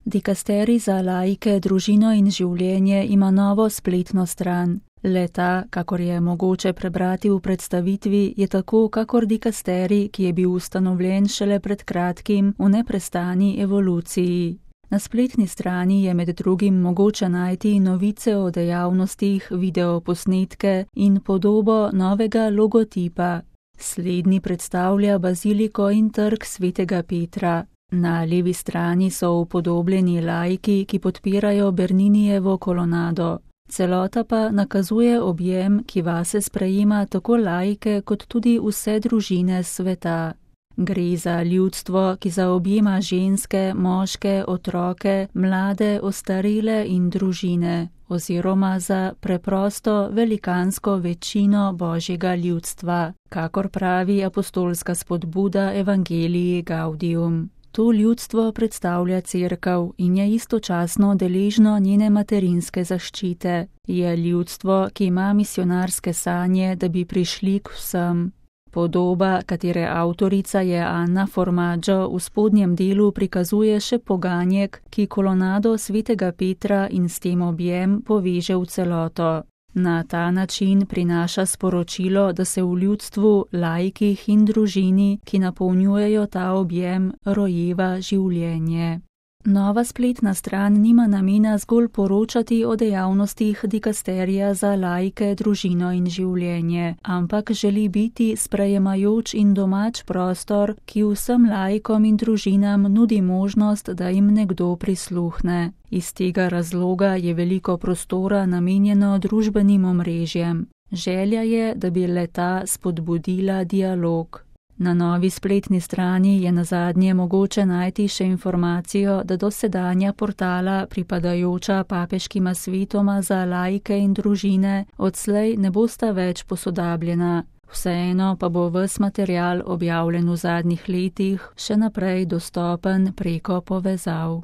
Dikasterij za laike, družino in življenje ima novo spletno stran. Le-ta, kakor je mogoče prebrati v predstavitvi, je tako kakor dikasterij, ki je bil ustanovljen šele pred kratkim v neprestani evoluciji. Na spletni strani je med drugim mogoče najti novice o dejavnostih, videoposnetke in podobo novega logotipa. Slednji predstavlja baziliko in trg svetega Petra. Na levi strani so upodobljeni laiki, ki podpirajo Berninijevo kolonado. Celota pa nakazuje objem, ki vase sprejema tako laike kot tudi vse družine sveta. Gre za ljudstvo, ki zaobjema ženske, moške, otroke, mlade, ostarele in družine, oziroma za preprosto velikansko večino božjega ljudstva, kakor pravi apostolska spodbuda Evangelii Gaudium. To ljudstvo predstavlja Cerkev in je istočasno deležno njene materinske zaščite. Je ljudstvo, ki ima misionarske sanje, da bi prišli k vsem. Podoba, katere avtorica je Anna Formaggio, v spodnjem delu prikazuje še poganjek, ki kolonado svetega Petra in s tem objem poveže v celoto. Na ta način prinaša sporočilo, da se v ljudstvu, laikih in družini, ki napolnjujejo ta objem, rojeva življenje. Nova spletna stran nima namena zgolj poročati o dejavnostih dikasterija za laike, družino in življenje, ampak želi biti sprejemajoč in domač prostor, ki vsem laikom in družinam nudi možnost, da jim nekdo prisluhne. Iz tega razloga je veliko prostora namenjeno družbenim omrežjem. Želja je, da bi le-ta spodbudila dialog. Na novi spletni strani je nazadnje mogoče najti še informacijo, da dosedanja portala, pripadajoča papeškima svetoma za laike in družine, odslej ne bosta več posodabljena. Vseeno pa bo ves material, objavljen v zadnjih letih, še naprej dostopen preko povezav.